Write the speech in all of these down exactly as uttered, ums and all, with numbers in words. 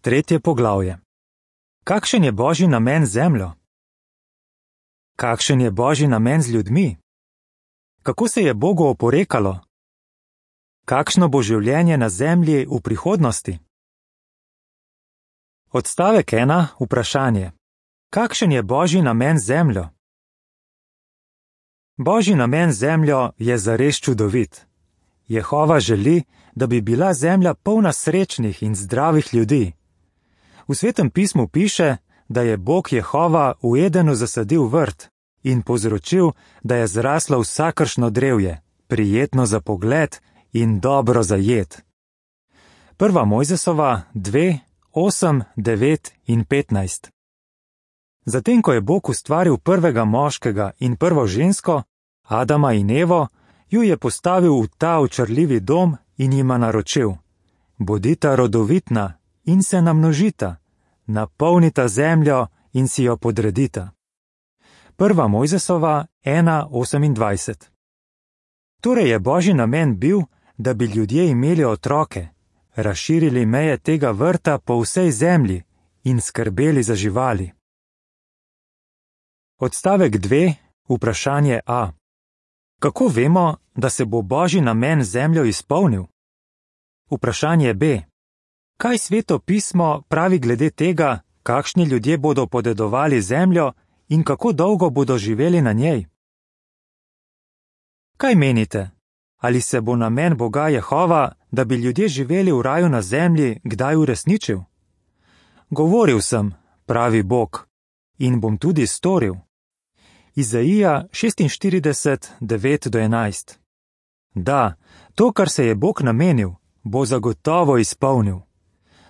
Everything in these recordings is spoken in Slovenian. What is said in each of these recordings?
Tretje poglavje. Kakšen je Božji namen z zemljo? Kakšen je Božji namen z ljudmi? Kako se je Bogu oporekalo? Kakšno bo življenje na zemlji v prihodnosti? Odstavek ena, vprašanje. Kakšen je Božji namen z zemljo? Božji namen z zemljo je zares čudovit. Jehova želi, da bi bila zemlja polna srečnih in zdravih ljudi. V Svetem pismu piše, da je Bog Jehova v Edenu zasadil vrt in povzročil, da je zraslo vsakršno drevje, prijetno za pogled in dobro za jed. Prva Mojzesova dve, osem, devet in petnajst. Zatem, ko je Bog ustvaril prvega moškega in prvo žensko, Adama in Evo, ju je postavil v ta očarljivi dom in jima naročil: bodita rodovitna in se namnožita, napolnita zemljo in si jo podredita. Prva Mojzesova ena, osemindvajset. Torej je Božji namen bil, da bi ljudje imeli otroke, razširili meje tega vrta po vsej zemlji in skrbeli za živali. Odstavek dve, vprašanje A. Kako vemo, da se bo Božji namen z zemljo izpolnil? Vprašanje B. Kaj Sveto pismo pravi glede tega, kakšni ljudje bodo podedovali zemljo in kako dolgo bodo živeli na njej? Kaj menite? Ali se bo namen Boga Jehova, da bi ljudje živeli v raju na zemlji, kdaj uresničil? Govoril sem, pravi Bog, in bom tudi storil. Izaija šestinštirideset, devet do enajst. Da, to, kar se je Bog namenil, bo zagotovo izpolnil.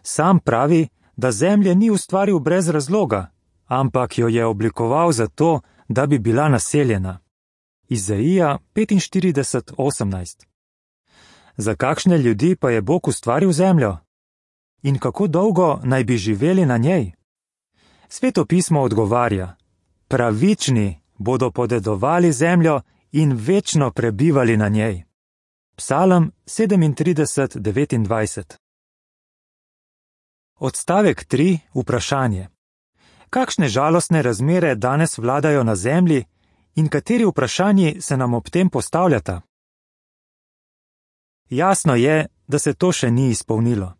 Sam pravi, da zemlje ni ustvaril brez razloga, ampak jo je oblikoval zato, da bi bila naseljena. Izaija petinštirideset, osemnajst. Za kakšne ljudi pa je Bog ustvaril zemljo? In kako dolgo naj bi živeli na njej? Sveto pismo odgovarja: pravični bodo podedovali zemljo in večno prebivali na njej. Psalm sedemintrideset, devetindvajset. Odstavek tri, vprašanje. Kakšne žalostne razmere danes vladajo na zemlji in kateri vprašanji se nam ob tem postavljata? Jasno je, da se to še ni izpolnilo.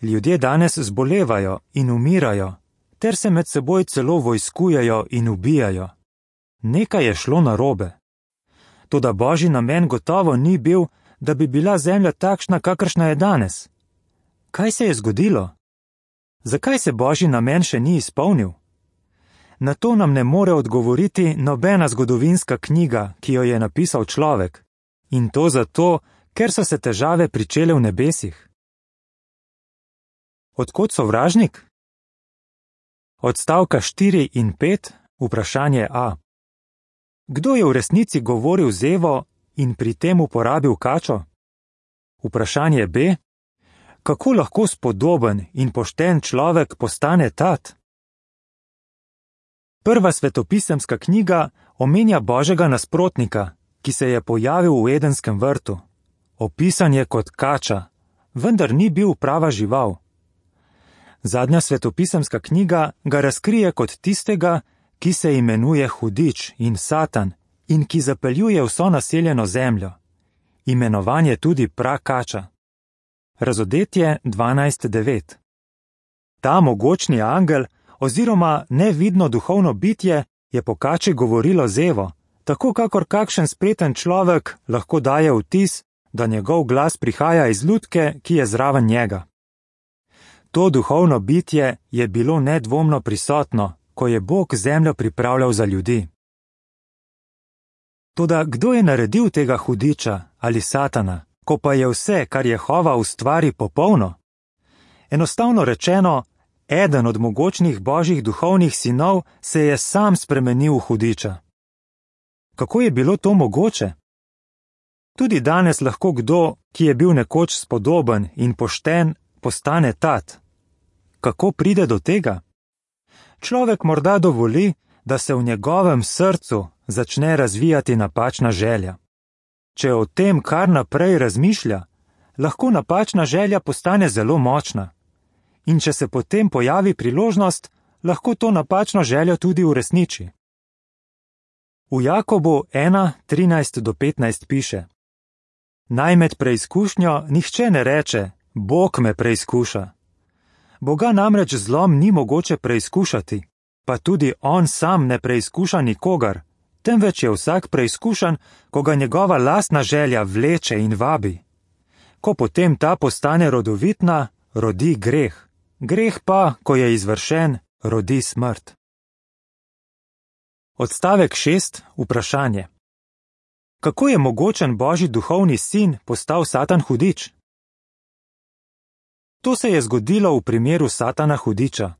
Ljudje danes zbolevajo in umirajo, ter se med seboj celo vojskujejo in ubijajo. Nekaj je šlo narobe. Toda Božji namen gotovo ni bil, da bi bila zemlja takšna, kakršna je danes. Kaj se je zgodilo? Zakaj se Božji namen še ni izpolnil? Na to nam ne more odgovoriti nobena zgodovinska knjiga, ki jo je napisal človek. In to zato, ker so se težave pričele v nebesih. Od kod sovražnik? Odstavka štiri in pet, vprašanje A. Kdo je v resnici govoril z Evo in pri tem uporabil kačo? Vprašanje B. Kako lahko spodoben in pošten človek postane tat? Prva svetopisemska knjiga omenja Božjega nasprotnika, ki se je pojavil v Edenskem vrtu. Opisan je kot kača, vendar ni bil prava žival. Zadnja svetopisemska knjiga ga razkrije kot tistega, ki se imenuje Hudič in Satan in ki zapeljuje vso naseljeno zemljo. Imenovan je tudi prakača. Razodetje dvanajst, devet. Ta mogočni angel oziroma nevidno duhovno bitje je po kači govorilo z Evo, tako kakor kakšen spreten človek lahko daje vtis, da njegov glas prihaja iz lutke, ki je zraven njega. To duhovno bitje je bilo nedvomno prisotno, ko je Bog zemljo pripravljal za ljudi. Toda kdo je naredil tega hudiča ali Satana, ko pa je vse, kar Jehova ustvari, popolno? Enostavno rečeno, eden od mogočnih Božjih duhovnih sinov se je sam spremenil v hudiča. Kako je bilo to mogoče? Tudi danes lahko kdo, ki je bil nekoč spodoben in pošten, postane tat. Kako pride do tega? Človek morda dovoli, da se v njegovem srcu začne razvijati napačna želja. Če o tem kar naprej razmišlja, lahko napačna želja postane zelo močna. in če se potem pojavi priložnost, lahko to napačno željo tudi uresniči. V Jakobu ena, trinajst do petnajst piše: Naj med preizkušnjo nihče ne reče, Bog me preizkuša. Boga namreč zlom ni mogoče preizkušati, pa tudi on sam ne preizkuša nikogar, temveč je vsak preizkušan, ko ga njegova lastna želja vleče in vabi. Ko potem ta postane rodovitna, rodi greh, greh pa, ko je izvršen, rodi smrt. Odstavek šest, vprašanje. Kako je mogočen Božji duhovni sin postal Satan hudič? To se je zgodilo v primeru Satana hudiča.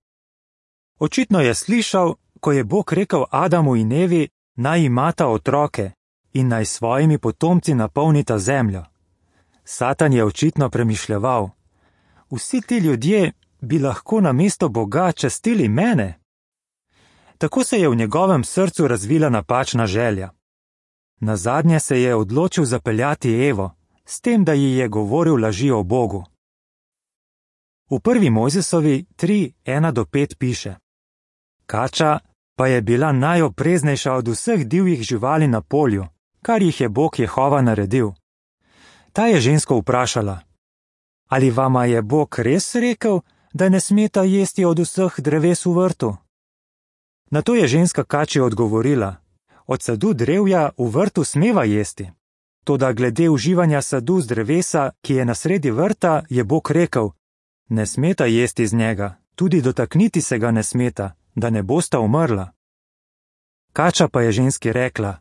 Očitno je slišal, ko je Bog rekel Adamu in Evi, naj imata otroke in naj svojimi potomci napolnita zemljo. Satan je očitno premišljeval: vsi ti ljudje bi lahko namesto Boga častili mene. Tako se je v njegovem srcu razvila napačna želja. Nazadnje se je odločil zapeljati Evo, s tem, da ji je govoril laži o Bogu. V prvi Mojzesovi tri, ena do pet piše: Kača pa je bila najopreznejša od vseh divjih živali na polju, kar jih je Bog Jehova naredil. Ta je žensko vprašala: Ali vama je Bog res rekel, da ne smeta jesti od vseh dreves v vrtu? Nato je ženska kači odgovorila: Od sadu drevja v vrtu smeva jesti. Toda glede uživanja sadu z drevesa, ki je na sredi vrta, je Bog rekel: Ne smeta jesti z njega, tudi dotakniti se ga ne smeta, da ne bosta umrla. Kača pa je ženski rekla: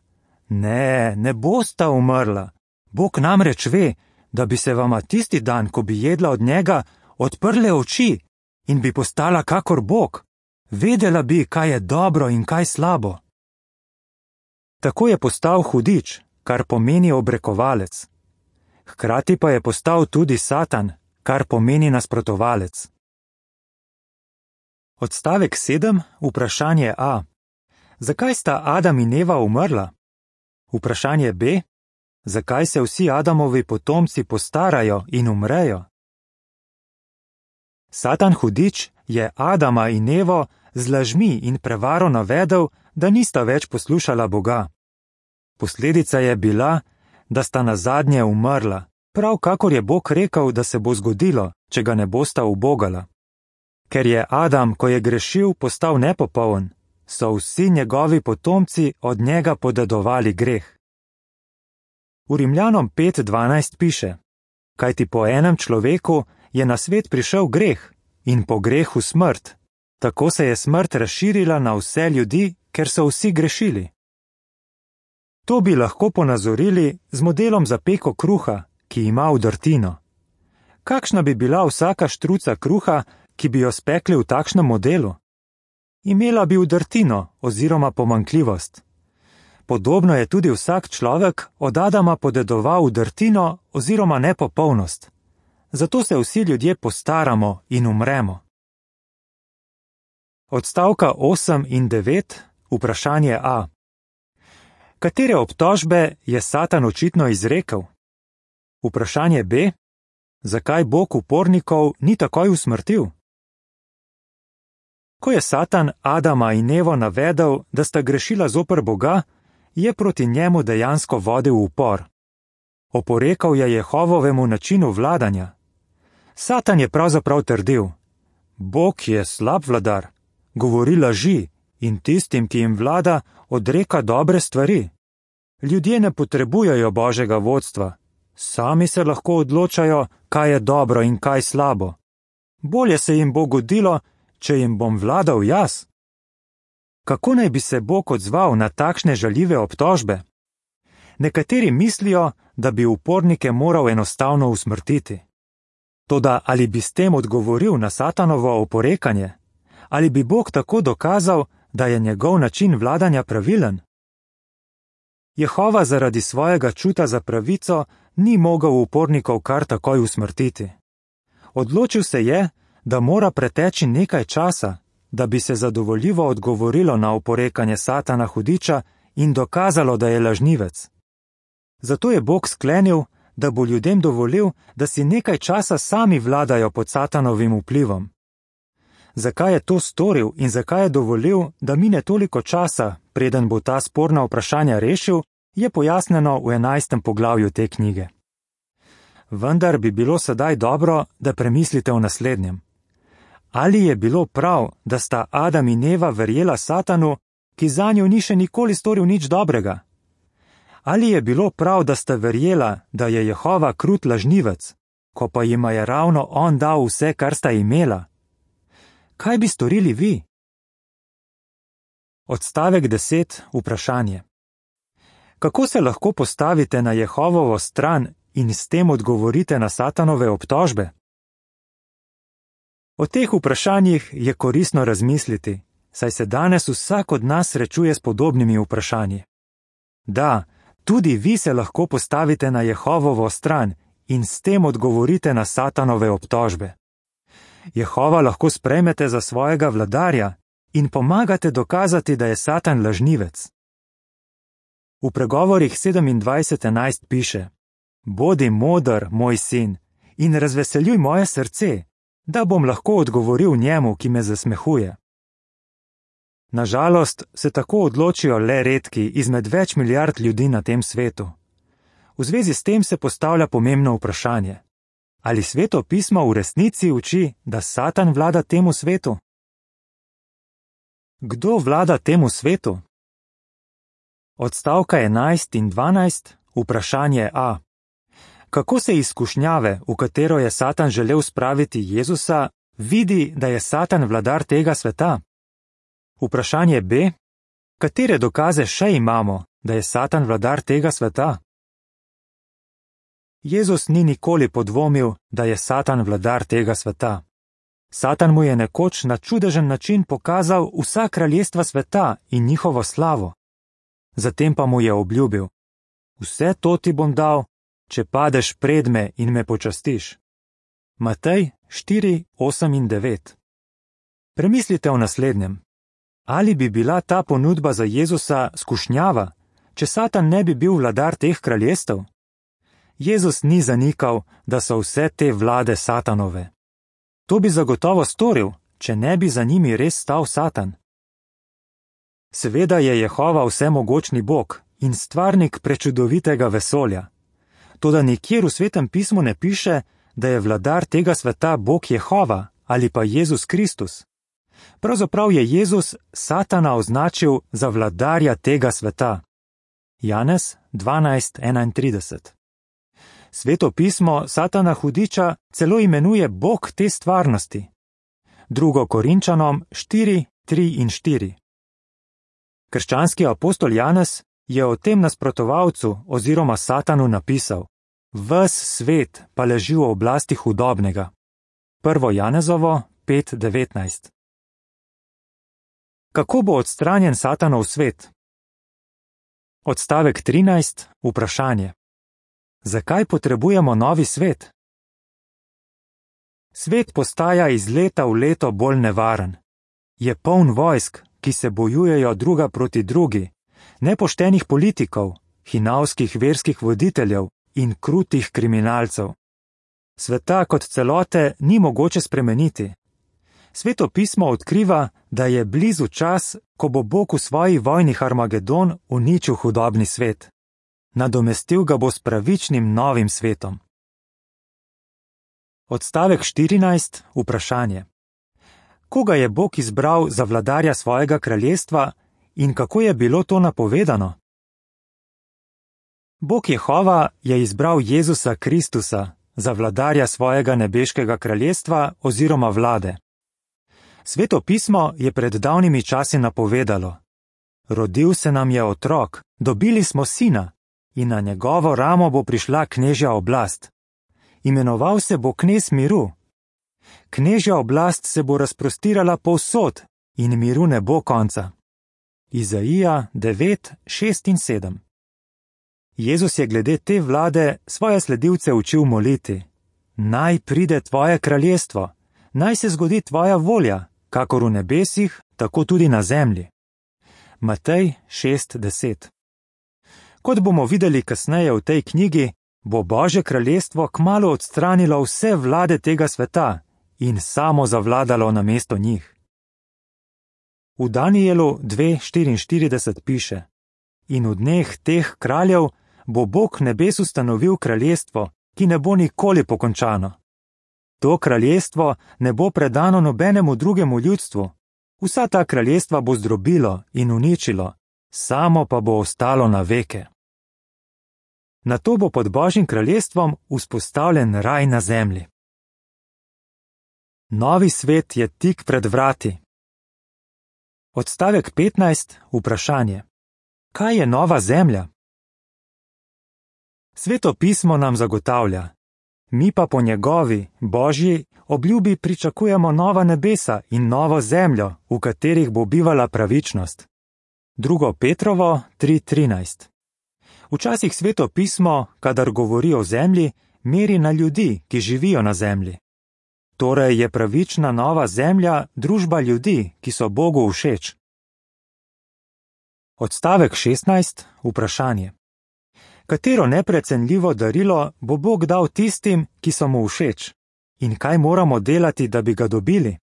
Ne, ne bosta umrla. Bog namreč ve, da bi se vama tisti dan, ko bi jedla od njega, odprle oči in bi postala kakor Bog. Vedela bi, kaj je dobro in kaj slabo. Tako je postal hudič, kar pomeni obrekovalec. Hkrati pa je postal tudi Satan, kar pomeni nasprotovalec. Odstavek sedem, vprašanje A. Zakaj sta Adam in Eva umrla? Vprašanje B. Zakaj se vsi Adamovi potomci postarajo in umrejo? Satan hudič je Adama in Evo z lažmi in prevaro navedel, da nista več poslušala Boga. Posledica je bila, da sta nazadnje umrla, prav kakor je Bog rekel, da se bo zgodilo, če ga ne bosta ubogala. Ker je Adam, ko je grešil, postal nepopoln, so vsi njegovi potomci od njega podedovali greh. V Rimljanom pet dvanajst piše: Kajti po enem človeku je na svet prišel greh in po grehu smrt, tako se je smrt razširila na vse ljudi, ker so vsi grešili. To bi lahko ponazorili z modelom za peko kruha, ki ima vdrtino. Kakšna bi bila vsaka štruca kruha, ki bi jo spekli v takšnem modelu? Imela bi vdrtino oziroma pomanjkljivost. Podobno je tudi vsak človek od Adama podedoval vdrtino oziroma nepopolnost. Zato se vsi ljudje postaramo in umremo. Odstavka osem in devet, vprašanje A. Katere obtožbe je Satan očitno izrekel? Vprašanje B. Zakaj Bog upornikov ni takoj usmrtil? Ko je Satan Adama in Evo navedel, da sta grešila zoper Boga, je proti njemu dejansko vodil upor. Oporekal je Jehovovemu načinu vladanja. Satan je pravzaprav trdil: Bog je slab vladar, govori laži in tistim, ki jim vlada, odreka dobre stvari. Ljudje ne potrebujejo Božjega vodstva, sami se lahko odločajo, kaj je dobro in kaj slabo. Bolje se jim bo godilo, če jim bom vladal jaz. Kako naj bi se Bog odzval na takšne žaljive obtožbe? Nekateri mislijo, da bi upornike moral enostavno usmrtiti. Toda ali bi s tem odgovoril na Satanovo oporekanje? Ali bi Bog tako dokazal, da je njegov način vladanja pravilen? Jehova zaradi svojega čuta za pravico ni mogel upornikov kar takoj usmrtiti. Odločil se je, da mora preteči nekaj časa, da bi se zadovoljivo odgovorilo na oporekanje Satana hudiča in dokazalo, da je lažnivec. Zato je Bog sklenil, da bo ljudem dovolil, da si nekaj časa sami vladajo pod Satanovim vplivom, Zakaj je to storil in zakaj je dovolil, da mine toliko časa, preden bo ta sporna vprašanja rešil, je pojasnjeno v enajstem poglavju te knjige. Vendar bi bilo sedaj dobro, da premislite o naslednjem. Ali je bilo prav, da sta Adam in Eva verjela Satanu, ki zanju ni še nikoli storil nič dobrega? Ali je bilo prav, da sta verjela, da je Jehova krut lažnivec, ko pa jima je ravno on dal vse, kar sta imela? Kaj bi storili vi? Odstavek deset, vprašanje. Kako se lahko postavite na Jehovovo stran in s tem odgovorite na Satanove obtožbe? O teh vprašanjih je koristno razmisliti, saj se danes vsak od nas srečuje s podobnimi vprašanji. Da, tudi vi se lahko postavite na Jehovovo stran in s tem odgovorite na Satanove obtožbe. Jehova lahko sprejmete za svojega vladarja in pomagate dokazati, da je Satan lažnivec. V pregovorih sedemindvajset enajst piše: Bodi moder, moj sin, in razveseljuj moje srce, da bom lahko odgovoril njemu, ki me zasmehuje. Nažalost se tako odločijo le redki izmed več milijard ljudi na tem svetu. V zvezi s tem se postavlja pomembno vprašanje. Ali Sveto pismo v resnici uči, da Satan vlada temu svetu? Kdo vlada temu svetu? Odstavka enajst in dvanajst, vprašanje A. Kako se izkušnjave, v katero je Satan želel spraviti Jezusa, vidi, da je Satan vladar tega sveta? Vprašanje B. Katere dokaze še imamo, da je Satan vladar tega sveta? Jezus ni nikoli podvomil, da je Satan vladar tega sveta. Satan mu je nekoč na čudežen način pokazal vsa kraljestva sveta in njihovo slavo. Zatem pa mu je obljubil: Vse to ti bom dal, če padeš pred me in me počastiš. Matej štiri, osem in devet. Premislite o naslednjem. Ali bi bila ta ponudba za Jezusa skušnjava, če Satan ne bi bil vladar teh kraljestev? Jezus ni zanikal, da so vse te vlade Satanove. To bi zagotovo storil, če ne bi za njimi res stal Satan. Seveda je Jehova vsemogočni Bog in stvarnik prečudovitega vesolja. Toda nikjer v Svetem pismu ne piše, da je vladar tega sveta Bog Jehova ali pa Jezus Kristus. Pravzaprav je Jezus Satana označil za vladarja tega sveta. Janez dvanajst enaintrideset. Sveto pismo Satana hudiča celo imenuje Bog te stvarnosti. Drugo Korinčanom štiri, tri in štiri. Krščanski apostol Janez je o tem nasprotovalcu oziroma Satanu napisal: Ves svet pa leži v oblasti hudobnega. Prvo Janezovo pet devetnajst. Kako bo odstranjen Satanov svet? Odstavek trinajst, vprašanje. Zakaj potrebujemo novi svet? Svet postaja iz leta v leto bolj nevaren. Je poln vojsk, ki se bojujejo druga proti drugi, nepoštenih politikov, hinavskih verskih voditeljev in krutih kriminalcev. Sveta kot celote ni mogoče spremeniti. Sveto pismo odkriva, da je blizu čas, ko bo Bog v svoji vojni Harmagedon uničil hudobni svet. Nadomestil ga bo s pravičnim novim svetom. Odstavek štirinajst, vprašanje. Koga je Bog izbral za vladarja svojega kraljestva in kako je bilo to napovedano? Bog Jehova je izbral Jezusa Kristusa za vladarja svojega nebeškega kraljestva oziroma vlade. Sveto pismo je pred davnimi časi napovedalo: Rodil se nam je otrok, dobili smo sina in na njegovo ramo bo prišla knežja oblast. Imenoval se bo knez miru. Knežja oblast se bo razprostirala povsod in miru ne bo konca. Izaija devet, šest in sedem. Jezus je glede te vlade svoje sledilce učil moliti: Naj pride tvoje kraljestvo, naj se zgodi tvoja volja, kakor v nebesih, tako tudi na zemlji. Matej šest, deset. Kot bomo videli kasneje v tej knjigi, bo Božje kraljestvo kmalu odstranilo vse vlade tega sveta in samo zavladalo namesto njih. V Danijelu dve štiriinštirideset piše: In v dneh teh kraljev bo Bog nebes ustanovil kraljestvo, ki ne bo nikoli pokončano. To kraljestvo ne bo predano nobenemu drugemu ljudstvu. Vsa ta kraljestva bo zdrobilo in uničilo, samo pa bo ostalo na veke. Nato bo pod Božjim kraljestvom vzpostavljen raj na zemlji. Novi svet je tik pred vrati. Odstavek petnajst, vprašanje. Kaj je nova zemlja? Sveto pismo nam zagotavlja: mi pa po njegovi, Božji, obljubi pričakujemo nova nebesa in novo zemljo, v katerih bo bivala pravičnost. Drugo Petrovo tri trinajst. Včasih Sveto pismo, kadar govori o zemlji, meri na ljudi, ki živijo na zemlji. Torej je pravična nova zemlja družba ljudi, ki so Bogu všeč. Odstavek šestnajst, vprašanje. Katero neprecenljivo darilo bo Bog dal tistim, ki so mu všeč? In kaj moramo delati, da bi ga dobili?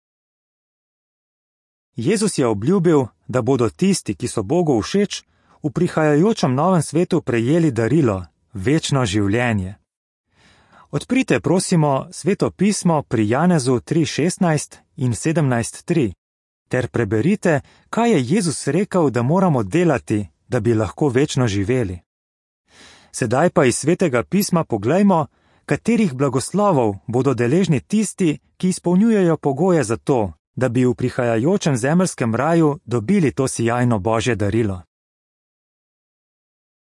Jezus je obljubil, da bodo tisti, ki so Bogu všeč, v prihajajočem novem svetu prejeli darilo, večno življenje. Odprite, prosimo, Sveto pismo pri Janezu tri šestnajst in sedemnajst tri, ter preberite, kaj je Jezus rekel, da moramo delati, da bi lahko večno živeli. Sedaj pa iz Svetega pisma poglejmo, katerih blagoslovov bodo deležni tisti, ki izpolnjujejo pogoje za to, da bi v prihajajočem zemeljskem raju dobili to sijajno Božje darilo.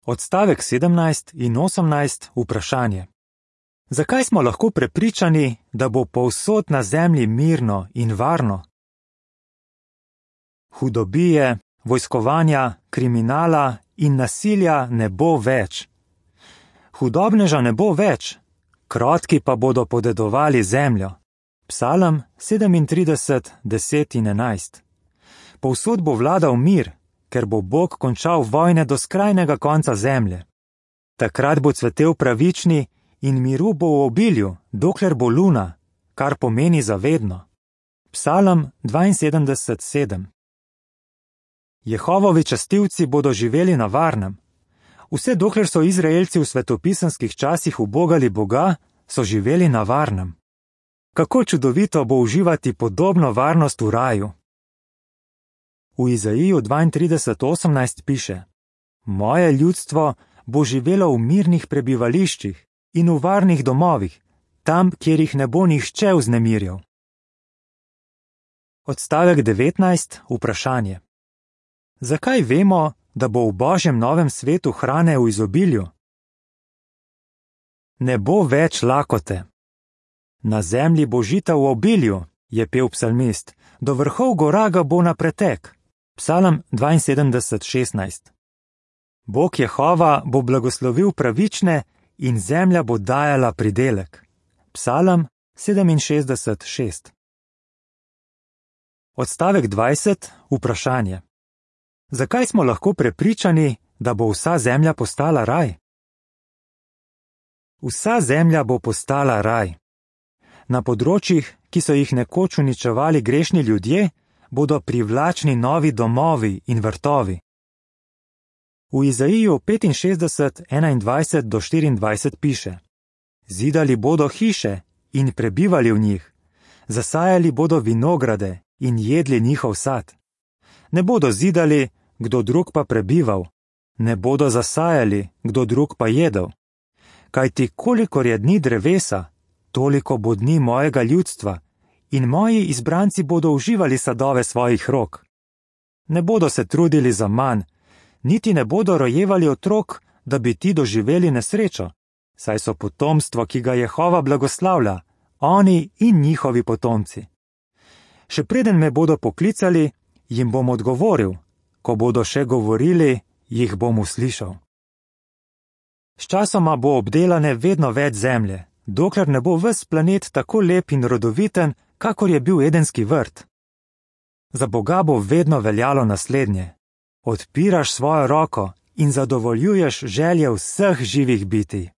Odstavek sedemnajst in osemnajst, vprašanje. Zakaj smo lahko prepričani, da bo povsod na zemlji mirno in varno? Hudobije, vojskovanja, kriminala in nasilja ne bo več. Hudobneža ne bo več, krotki pa bodo podedovali zemljo. Psalm sedemintrideset, deset in enajst. Povsod bo vladal mir, ker bo Bog končal vojne do skrajnega konca zemlje. Takrat bo cvetel pravični in miru bo v obilju, dokler bo luna, kar pomeni zavedno. Psalm dvainsedemdeset, sedem. Jehovovi častilci bodo živeli na varnem. Vse dokler so Izraelci v svetopisemskih časih ubogali Boga, so živeli na varnem. Kako čudovito bo uživati podobno varnost v raju. V Izaiju dvaintrideset, osemnajst piše: Moje ljudstvo bo živelo v mirnih prebivališčih in v varnih domovih, tam, kjer jih ne bo nihče vznemirjal. Odstavek devetnajst, vprašanje. Zakaj vemo, da bo v Božjem novem svetu hrane v izobilju? Ne bo več lakote. Na zemlji bo žita v obilju, je pel psalmist, do vrhov gora ga bo na pretek. Psalm dvainsedemdeset, šestnajst. Bog Jehova bo blagoslovil pravične in zemlja bo dajala pridelek. Psalm sedeminšestdeset, šest. Odstavek dvajset, vprašanje. Zakaj smo lahko prepričani, da bo vsa zemlja postala raj? Vsa zemlja bo postala raj. Na področjih, ki so jih nekoč uničevali grešni ljudje, bodo privlačni novi domovi in vrtovi. V Izaiju petinšestdeset, enaindvajset do štiriindvajset piše: Zidali bodo hiše in prebivali v njih, zasajali bodo vinograde in jedli njihov sad. Ne bodo zidali, kdo drug pa prebival, ne bodo zasajali, kdo drug pa jedel. Kajti kolikor je dni drevesa, toliko bo dni mojega ljudstva in moji izbranci bodo uživali sadove svojih rok. Ne bodo se trudili za manj, niti ne bodo rojevali otrok, da bi ti doživeli nesrečo, saj so potomstvo, ki ga Jehova blagoslavlja, oni in njihovi potomci. Še preden me bodo poklicali, jim bom odgovoril, ko bodo še govorili, jih bom uslišal. Sčasoma bo obdelane vedno več zemlje, dokler ne bo ves planet tako lep in rodoviten, kakor je bil Edenski vrt. Za Boga bo vedno veljalo naslednje: odpiraš svojo roko in zadovoljuješ želje vseh živih bitij.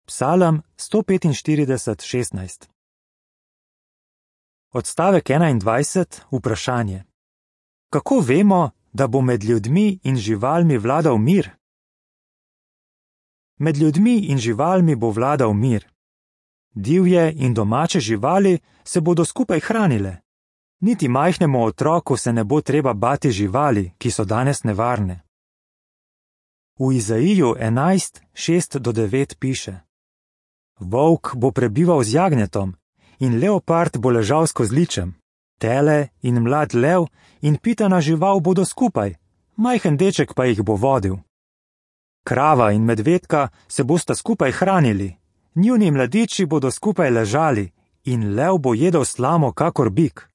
Psalm sto petinštirideset, šestnajst. Odstavek enaindvajset, vprašanje. Kako vemo, da bo med ljudmi in živalmi vladal mir? Med ljudmi in živalmi bo vladal mir. Divje in domače živali se bodo skupaj hranile. Niti majhnemu otroku se ne bo treba bati živali, ki so danes nevarne. V Izaiju enajst, šest do devet piše: Volk bo prebival z jagnjetom in leopard bo ležal s kozličem, tele in mlad lev in pitana žival bodo skupaj, majhen deček pa jih bo vodil. Krava in medvedka se bosta skupaj hranili, njuni mladiči bodo skupaj ležali in lev bo jedel slamo kakor bik.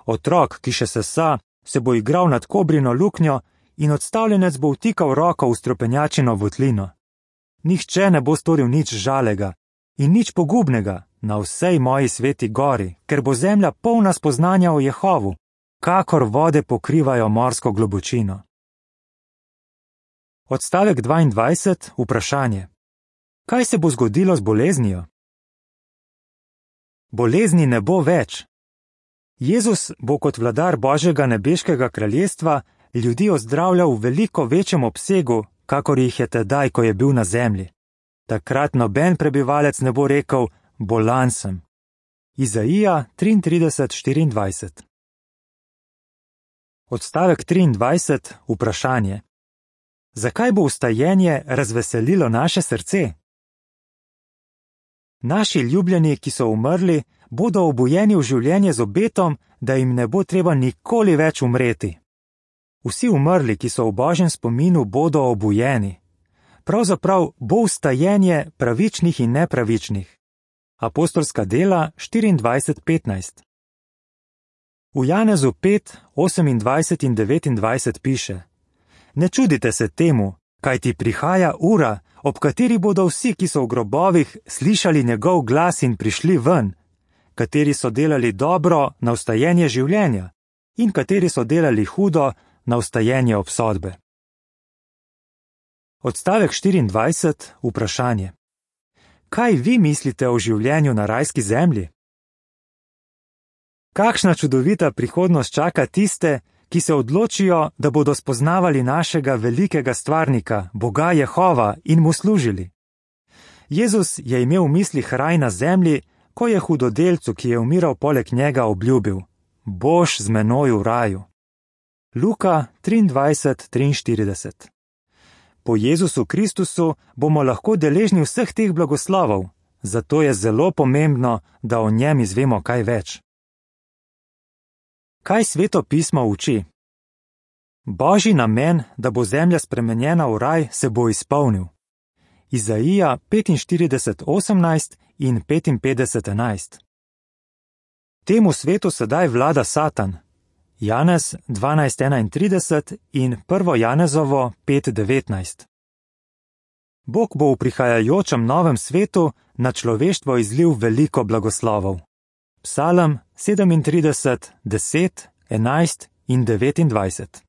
Otrok, ki še sesa, se bo igral nad kobrino luknjo in odstavljenec bo vtikal roko v stropenjačino votlino. Nihče ne bo storil nič žalega in nič pogubnega na vsej moji sveti gori, ker bo zemlja polna spoznanja o Jehovu, kakor vode pokrivajo morsko globočino. Odstavek dvaindvajset, vprašanje. Kaj se bo zgodilo z boleznijo? Bolezni ne bo več. Jezus bo kot vladar Božjega nebeškega kraljestva ljudi ozdravljal v veliko večjem obsegu, kakor jih je tedaj, ko je bil na zemlji. Takrat noben prebivalec ne bo rekel, bolan sem. Izaija triintrideset, štiriindvajset. Odstavek triindvajset, vprašanje. Zakaj bo vstajenje razveselilo naše srce? Naši ljubljeni, ki so umrli, bodo obujeni v življenje z obetom, da jim ne bo treba nikoli več umreti. Vsi umrli, ki so v Božjem spominu, bodo obujeni. Pravzaprav bo vstajenje pravičnih in nepravičnih. Apostolska dela štiriindvajset, petnajst. V Janezu pet, osemindvajset in devetindvajset piše: Ne čudite se temu, kajti prihaja ura, ob kateri bodo vsi, ki so v grobovih, slišali njegov glas in prišli ven, kateri so delali dobro na vstajenje življenja in kateri so delali hudo na vstajenje obsodbe. Odstavek štiriindvajset, vprašanje. Kaj vi mislite o življenju na rajski zemlji? Kakšna čudovita prihodnost čaka tiste, ki se odločijo, da bodo spoznavali našega velikega stvarnika, Boga Jehova, in mu služili. Jezus je imel v mislih raj na zemlji, ko je hudodelcu, ki je umiral poleg njega, obljubil: Boš z menoj v raju. Luka triindvajset, triinštirideset. Po Jezusu Kristusu bomo lahko deležni vseh teh blagoslovov, zato je zelo pomembno, da o njem izvemo kaj več. Kaj Sveto pismo uči? Božji namen, da bo zemlja spremenjena v raj, se bo izpolnil. Izaija petinštirideset, osemnajst in petinpetdeset, enajst. Temu svetu sedaj vlada Satan. Janez dvanajst, enaintrideset in prvo Janezovo pet, devetnajst. Bog bo v prihajajočem novem svetu na človeštvo izlil veliko blagoslovov. Psalm sedemintrideset, deset, enajst in devetindvajset.